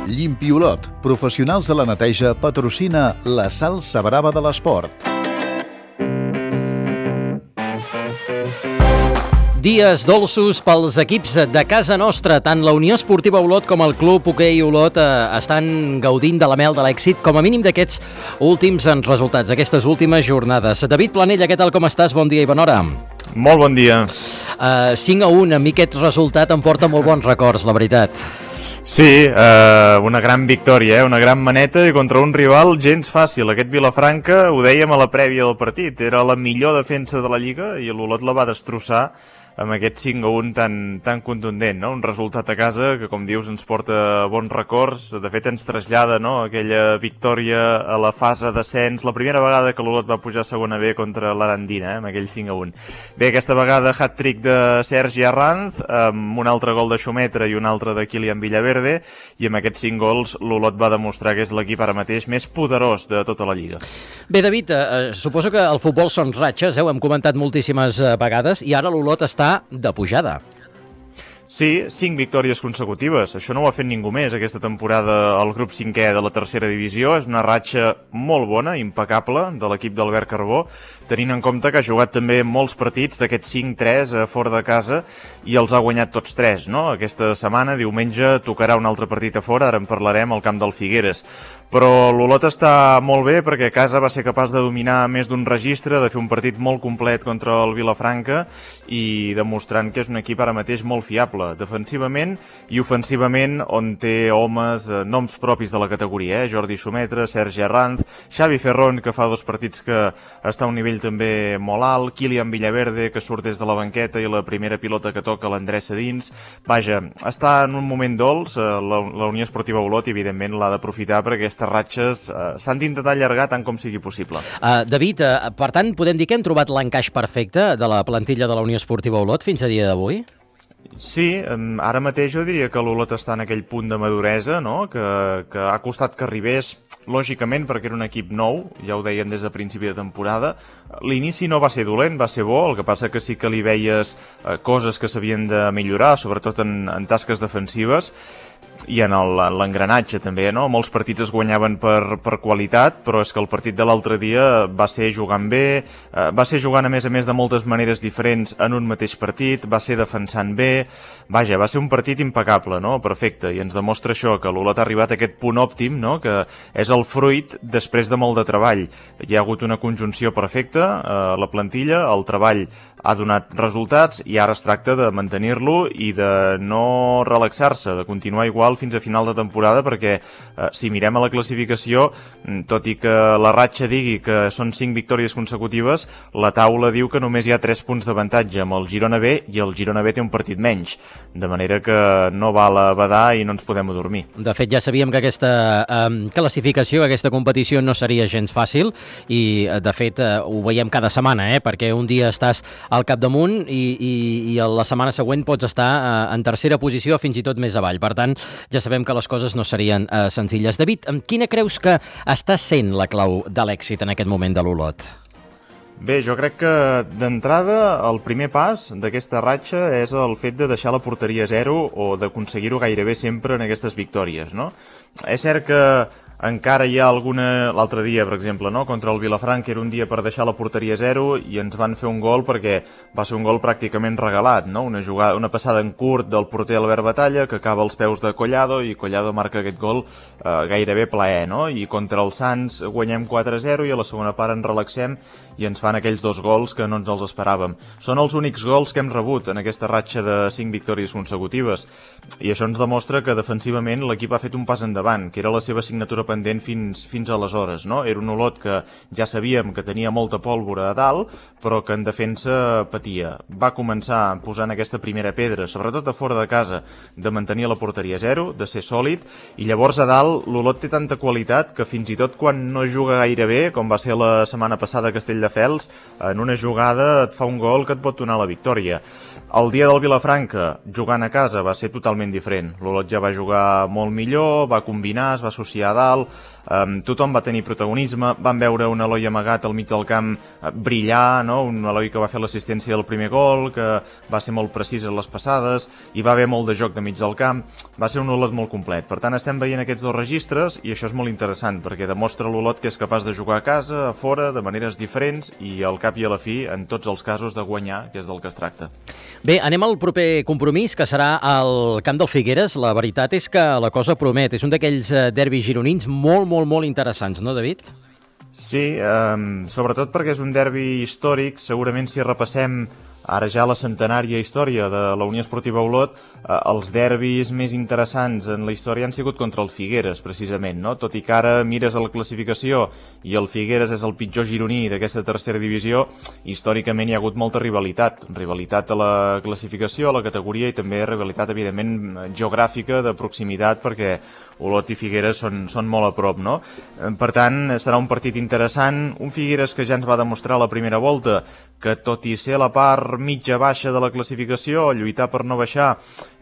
Llimpiolot, professionals de la neteja, patrocina la salsa brava de l'esport. Dies dolços pels equips de casa nostra. Tant la Unió Esportiva Olot com el Club Hoquei Olot estan gaudint de la mel de l'èxit, com a mínim d'aquests últims resultats, d'aquestes últimes jornades. David Planella, què tal, com estàs? Bon dia i bona hora. Molt bon dia. 5-1, a mi aquest resultat em porta molt bons records, la veritat. Sí, una gran victòria, una gran maneta i contra un rival gens fàcil. Aquest Vilafranca, ho dèiem a la prèvia del partit, era la millor defensa de la Lliga i l'Olot la va destrossar amb aquest 5-1 tan contundent, no? Un resultat a casa que, com dius, ens porta bons records. De fet, ens trasllada, no?, aquella victòria a la fase d'ascens, la primera vegada que l'Olot va pujar a segona B contra l'Arandina, amb aquell 5-1. Bé, aquesta vegada hat-trick de Sergi Arranz, amb un altre gol de Xumetra i un altre de Kilian Villaverde, i amb aquests 5 gols l'Olot va demostrar que és l'equip ara mateix més poderós de tota la Lliga. Bé, David, suposo que el futbol són ratxes, ho hem comentat moltíssimes vegades, i ara l'Olot està de pujada. Sí, 5 victòries consecutives. Això no ho ha fet ningú més aquesta temporada al grup 5è de la tercera divisió. És una ratxa molt bona, impecable, de l'equip d'Albert Carbó, tenint en compte que ha jugat també molts partits d'aquests 5-3 fora de casa i els ha guanyat tots 3, no? Aquesta setmana, diumenge, tocarà un altre partit a fora, ara en parlarem, al camp del Figueres. Però l'Olot està molt bé perquè a casa va ser capaç de dominar més d'un registre, de fer un partit molt complet contra el Vilafranca i demostrant que és un equip ara mateix molt fiable, defensivament i ofensivament, on té homes, noms propis de la categoria, Jordi Xumetra, Sergi Arranz, Xavi Ferrón, que fa 2 partits que està a un nivell també molt alt, Kilian Villaverde, que surt des de la banqueta i la primera pilota que toca l'endreça dins. Vaja, està en un moment dolç, la Unió Esportiva Olot, i evidentment l'ha d'aprofitar perquè aquestes ratxes s'han d'intentar allargar tant com sigui possible. David, per tant, podem dir que hem trobat l'encaix perfecte de la plantilla de la Unió Esportiva Olot fins a dia d'avui? Sí, ara mateix jo diria que l'Olot està en aquell punt de maduresa, no?, que ha costat que arribés, lògicament, perquè era un equip nou, ja ho dèiem des de principi de temporada. L'inici no va ser dolent, va ser bo, el que passa que sí que li veies coses que s'havien de millorar, sobretot en tasques defensives, i en l'engranatge també, no? Molts partits es guanyaven per qualitat, però és que el partit de l'altre dia va ser jugant bé, va ser jugant a més de moltes maneres diferents en un mateix partit, va ser defensant bé, vaja, va ser un partit impecable, no? Perfecte, i ens demostra això, que l'Olot ha arribat a aquest punt òptim, no?, que és el fruit després de molt de treball. Hi ha hagut una conjunció perfecta a la plantilla, el treball ha donat resultats i ara es tracta de mantenir-lo i de no relaxar-se, de continuar igual fins a final de temporada, perquè si mirem a la classificació, tot i que la ratxa digui que són 5 victòries consecutives, la taula diu que només hi ha 3 punts d'avantatge amb el Girona B, i el Girona B té un partit menys, de manera que no val a badar i no ens podem adormir. De fet, ja sabíem que aquesta classificació, aquesta competició no seria gens fàcil i, de fet, ho veiem cada setmana, perquè un dia estàs al capdamunt i la setmana següent pots estar en tercera posició, fins i tot més avall. Per tant, ja sabem que les coses no serien senzilles. David, quina creus que està sent la clau de l'èxit en aquest moment de l'Olot? Bé, jo crec que d'entrada el primer pas d'aquesta ratxa és el fet de deixar la porteria a 0 o d'aconseguir-ho gairebé sempre en aquestes victòries, no? És cert que encara hi ha alguna... L'altre dia, per exemple, no?, contra el Vilafranca era un dia per deixar la porteria a 0 i ens van fer un gol perquè va ser un gol pràcticament regalat, no? Una passada en curt del porter Albert Batalla que acaba als peus de Collado i Collado marca aquest gol gairebé plaer, no? I contra el Sants guanyem 4-0 i a la segona part ens relaxem i ens fan aquells 2 gols que no ens els esperàvem. Són els únics gols que hem rebut en aquesta ratxa de 5 victòries consecutives i això ens demostra que defensivament l'equip ha fet un pas endavant, que era la seva assignatura pendent fins aleshores, no? Era un Olot que ja sabíem que tenia molta pólvora a dalt, però que en defensa patia. Va començar posant aquesta primera pedra, sobretot a fora de casa, de mantenir la porteria a 0, de ser sòlid, i llavors a dalt l'Olot té tanta qualitat que fins i tot quan no juga gaire bé, com va ser la setmana passada a Castelldefels, laterals, en una jugada et fa un gol que et pot donar la victòria. El dia del Vilafranca, jugant a casa, va ser totalment diferent. L'Olot ja va jugar molt millor, va combinar, es va associar a dalt, tothom va tenir protagonisme, van veure un Eloi amagat al mig del camp brillar, no? Un Eloi que va fer l'assistència del primer gol, que va ser molt precís en les passades, i va haver molt de joc de mig del camp, va ser un Olot molt complet. Per tant, estem veient aquests dos registres i això és molt interessant, perquè demostra l'Olot que és capaç de jugar a casa, a fora, de maneres diferents i al cap i a la fi, en tots els casos, de guanyar, que és del que es tracta. Bé, anem al proper compromís, que serà al camp del Figueres. La veritat és que la cosa promet. És un d'aquells derbis gironins molt interessants, no, David? Sí, sobretot perquè és un derbi històric. Segurament si repassem ara ja la centenària història de la Unió Esportiva Olot, els derbis més interessants en la història han sigut contra el Figueres, precisament, no? Tot i que ara mires a la classificació i el Figueres és el pitjor gironí d'aquesta tercera divisió, històricament hi ha hagut molta rivalitat. Rivalitat a la classificació, a la categoria, i també rivalitat, evidentment, geogràfica, de proximitat, perquè Olot i Figueres són molt a prop, no? Per tant, serà un partit interessant, un Figueres que ja ens va demostrar a la primera volta que, tot i ser la part mitja-baixa de la classificació, lluitar per no baixar,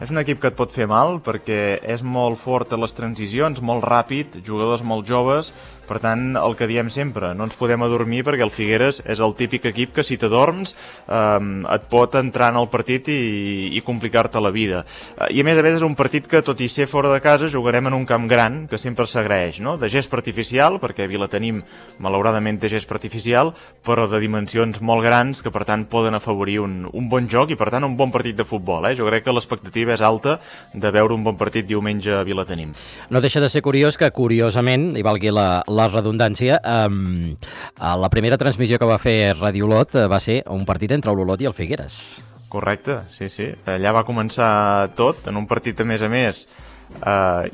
és un equip que et pot fer mal, perquè és molt fort a les transicions, molt ràpid, jugadors molt joves. Per tant, el que diem sempre, no ens podem adormir, perquè el Figueres és el típic equip que si t'adorms et pot entrar en el partit i complicar-te la vida. I a més és un partit que, tot i ser fora de casa, jugarem en un camp gran, que sempre s'agraeix, no? De gespa artificial, perquè a Vilatenim malauradament té gespa artificial, però de dimensions molt grans, que per tant poden afavorir un bon joc i per tant un bon partit de futbol. Jo crec que l'expectativa és alta de veure un bon partit diumenge a Vilatenim. No deixa de ser curiós que, curiosament, i valgui la redundància, la primera transmissió que va fer Ràdio Olot va ser un partit entre l'Olot i el Figueres. Correcte, sí. Allà va començar tot, en un partit a més,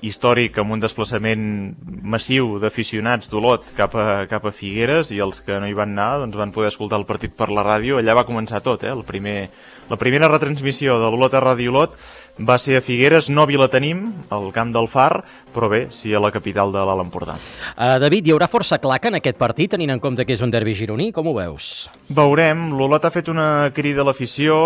històric, amb un desplaçament massiu d'aficionats d'Olot cap a Figueres, i els que no hi van anar doncs van poder escoltar el partit per la ràdio. Allà va començar tot, la primera retransmissió de l'Olot a Ràdio Olot va ser a Figueres, no a Vilatenim, al camp del Far, però bé, sí a la capital de l'Alt Empordà. David, hi haurà força claca en aquest partit, tenint en compte que és un derbi gironí? Com ho veus? Veurem, l'Olot ha fet una crida a l'afició,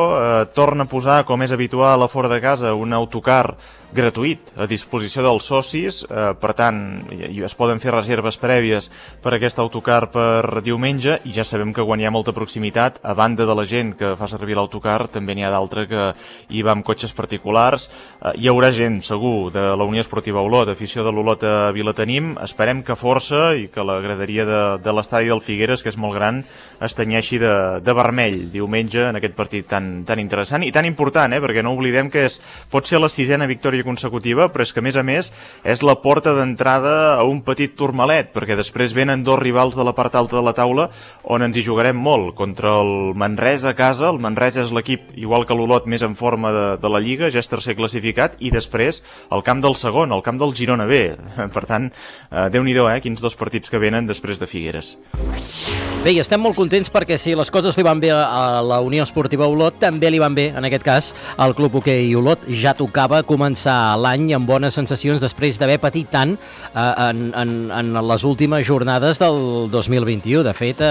torna a posar, com és habitual a fora de casa, un autocar gratuït a disposició dels socis, per tant, es poden fer reserves prèvies per aquest autocar per diumenge, i ja sabem que quan hi ha molta proximitat, a banda de la gent que fa servir l'autocar, també n'hi ha d'altra que hi va amb cotxes particulars. Hi haurà gent, segur, de la Unió Esportiva Olot, afició de l'Olot a Vilatenim. Esperem que força i que la graderia de l'estadi del Figueres, que és molt gran, es tenyeixi de vermell diumenge en aquest partit tan interessant i tan important, perquè no oblidem que pot ser la 6ª victòria consecutiva, però és que, a més, és la porta d'entrada a un petit turmalet, perquè després venen dos rivals de la part alta de la taula on ens hi jugarem molt, contra el Manresa a casa. El Manresa és l'equip, igual que l'Olot, més en forma de la Lliga, ja és tercer classificat, i després el camp del segon, el camp del Girona B. Per tant, Déu-n'hi-do, quins dos partits que venen després de Figueres. Bé, i estem molt contents perquè si les coses li van bé a la Unió Esportiva Olot, també li van bé, en aquest cas, al Club Hoquei Olot. Ja tocava començar l'any amb bones sensacions després d'haver patit tant en les últimes jornades del 2021. De fet,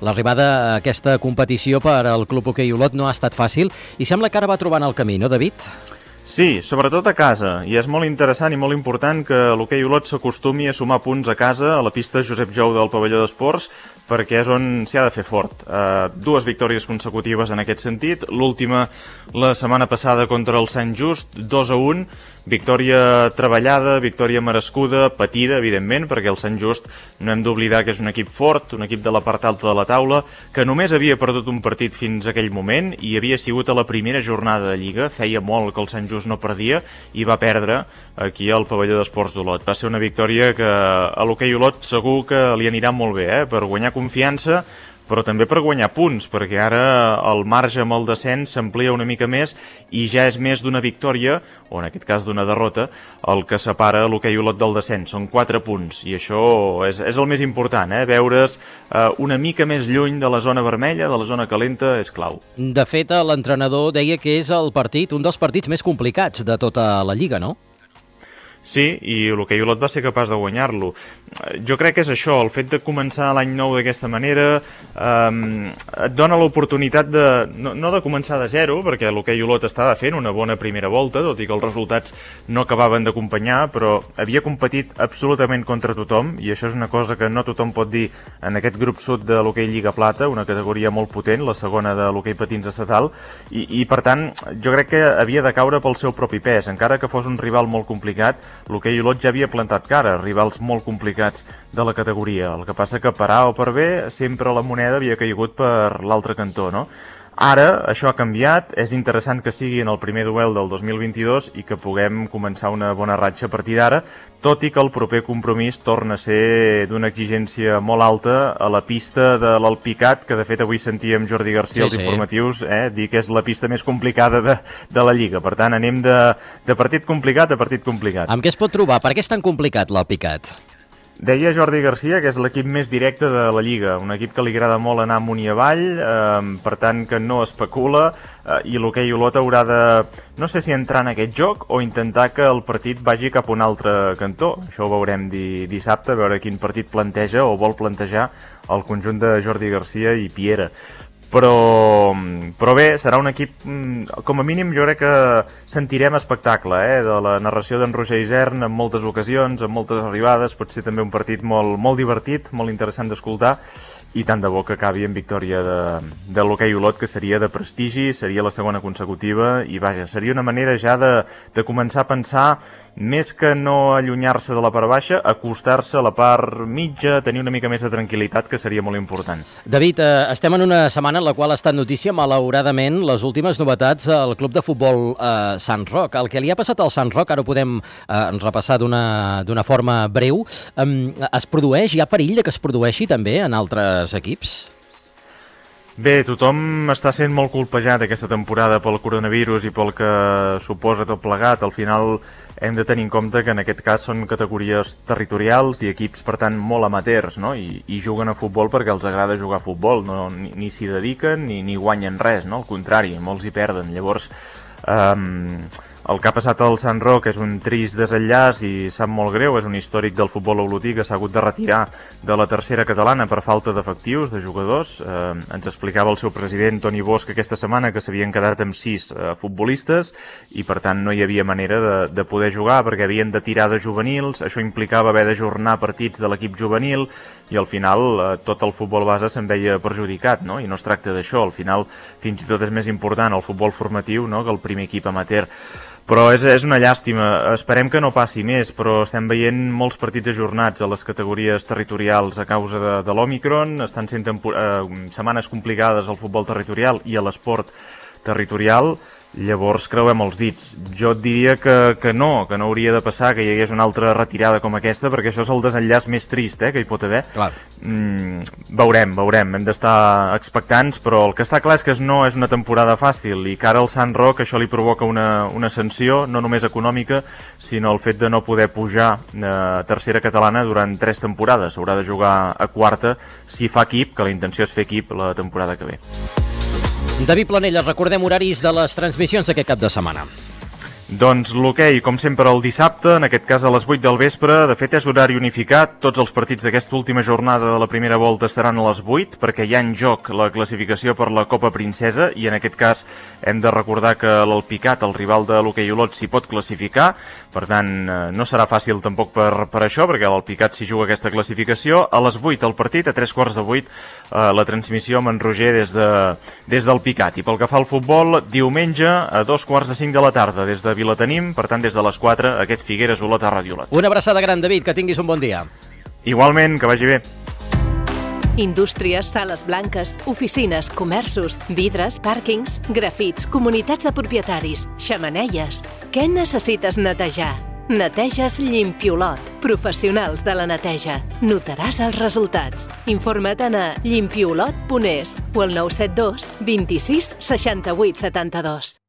l'arribada a aquesta competició per al Club Hoquei Olot no ha estat fàcil i sembla que ara va trobant el camí, no, David? Sí, sobretot a casa, i és molt interessant i molt important que l'Hoquei Olot s'acostumi a sumar punts a casa, a la pista Josep Jou del pavelló d'esports, perquè és on s'hi ha de fer fort. 2 victòries consecutives en aquest sentit, l'última la setmana passada contra el Sant Just, 2-1, victòria treballada, victòria merescuda, patida, evidentment, perquè el Sant Just no hem d'oblidar que és un equip fort, un equip de la part alta de la taula, que només havia perdut un partit fins a aquell moment i havia sigut a la primera jornada de Lliga. Feia molt que el Sant Just no perdia i va perdre aquí al pavelló d'esports d'Olot. Va ser una victòria que a l'Hoquei Olot segur que li anirà molt bé, per guanyar confiança, però també per guanyar punts, perquè ara el marge amb el descens s'amplia una mica més i ja és més d'una victòria, o en aquest cas d'una derrota, el que separa l'Hoquei Olot del descens. Són 4 punts, i això és el més important, veure's una mica més lluny de la zona vermella, de la zona calenta, és clau. De fet, l'entrenador deia que és el partit, un dels partits més complicats de tota la Lliga, no? Sí, i l'Hoquei Olot va ser capaç de guanyar-lo. Jo crec que és això, el fet de començar l'any nou d'aquesta manera et dona l'oportunitat de, no de començar de zero, perquè l'Hoquei Olot estava fent una bona primera volta, tot i que els resultats no acabaven d'acompanyar, però havia competit absolutament contra tothom, i això és una cosa que no tothom pot dir en aquest grup sud de l'Hoquei Lliga Plata, una categoria molt potent, la segona de l'Hoquei Patins estatal, i per tant jo crec que havia de caure pel seu propi pes, encara que fos un rival molt complicat. L'Hoquei Olot ja havia plantat cara, rivals molt complicats de la categoria. El que passa que per A o per B sempre la moneda havia caigut per l'altre cantó, no? Ara això ha canviat, és interessant que sigui en el primer duel del 2022 i que puguem començar una bona ratxa a partir d'ara, tot i que el proper compromís torna a ser d'una exigència molt alta a la pista de l'Alpicat, que de fet avui sentíem Jordi Garcia als informatius dir que és la pista més complicada de la Lliga. Per tant, anem de partit complicat a partit complicat. Amb què es pot trobar? Per què és tan complicat l'Alpicat? Deia Jordi Garcia que és l'equip més directe de la Lliga, un equip que li agrada molt anar amunt i avall, per tant que no especula, i l'Hoquei Olot haurà de, no sé si entrar en aquest joc o intentar que el partit vagi cap a un altre cantó. Això ho veurem dissabte, a veure quin partit planteja o vol plantejar el conjunt de Jordi Garcia i Piera. Però bé, serà un equip, com a mínim jo crec que sentirem espectacle de la narració d'en Roger Isern en moltes ocasions, en moltes arribades, pot ser també un partit molt divertit, molt interessant d'escoltar, i tant de bo que acabi en victòria de l'Hoquei Olot, que seria de prestigi, seria la segona consecutiva, i vaja, seria una manera ja de començar a pensar, més que no allunyar-se de la part baixa, acostar-se a la part mitja, tenir una mica més de tranquil·litat, que seria molt important. David, estem en una setmana en la qual ha estat notícia, malauradament, les últimes novetats al club de futbol Sant Roc. El que li ha passat al Sant Roc, ara ho podem repassar d'una forma breu, es produeix, hi ha perill de que es produeixi també en altres equips? Bé, tothom està sent molt colpejat aquesta temporada pel coronavirus i pel que suposa tot plegat. Al final hem de tenir en compte que en aquest cas són categories territorials i equips, per tant, molt amateurs, no? I juguen a futbol perquè els agrada jugar a futbol, no? Ni s'hi dediquen ni guanyen res, no? Al contrari, molts hi perden. Llavors, el que ha passat al Sant Roc és un trist desenllaç i sap molt greu, és un històric del futbol olotí que s'ha hagut de retirar de la tercera catalana per falta d'efectius, de jugadors. Ens explicava el seu president, Toni Bosch, aquesta setmana que s'havien quedat amb 6 futbolistes i per tant no hi havia manera de poder jugar perquè havien de tirar de juvenils, això implicava haver d'ajornar partits de l'equip juvenil i al final tot el futbol base se'n veia perjudicat, no? I no es tracta d'això, al final fins i tot és més important el futbol formatiu, no?, que el primer equip amateur. Però és una llàstima, esperem que no passi més, però estem veient molts partits ajornats a les categories territorials a causa de l'Òmicron, estan sent setmanes complicades al futbol territorial i a l'esport territorial, llavors creuem els dits. Jo et diria que no hauria de passar que hi hagués una altra retirada com aquesta, perquè això és el desenllaç més trist que hi pot haver. Veurem, hem d'estar expectants, però el que està clar és que no és una temporada fàcil i que ara al Sant Roc això li provoca una sanció, no només econòmica, sinó el fet de no poder pujar a tercera catalana durant 3 temporades. Haurà de jugar a quarta si fa equip, que la intenció és fer equip la temporada que ve. David Planella, recordem horaris de les transmissions d'aquest cap de setmana. Doncs l'hoquei, com sempre, el dissabte, en aquest cas a les 8 del vespre. De fet, és horari unificat. Tots els partits d'aquesta última jornada de la primera volta seran a les 8, perquè hi ha en joc la classificació per la Copa Princesa, i en aquest cas hem de recordar que l'Alpicat, el rival de l'Hoquei Olot, s'hi pot classificar. Per tant, no serà fàcil tampoc per això, perquè l'Alpicat s'hi juga aquesta classificació. A les 8 el partit, a 3:15 la transmissió amb en Roger des d'Alpicat. I pel que fa al futbol, diumenge a 2:45 de la tarda, des de Vilatenim, per tant des de les 4, aquest Figueres Olot a Ràdio Olot. Una abraçada gran, David, que tinguis un bon dia. Igualment, que vagi bé. Indústries, sales blanques, oficines, comerços, vidres, pàrquings, grafits, comunitats de propietaris, xemeneies. Què necessites netejar? Neteges Llimpiolot. Professionals de la neteja. Notaràs els resultats. Informa't a llimpiolot.es o al 972 26 68 72.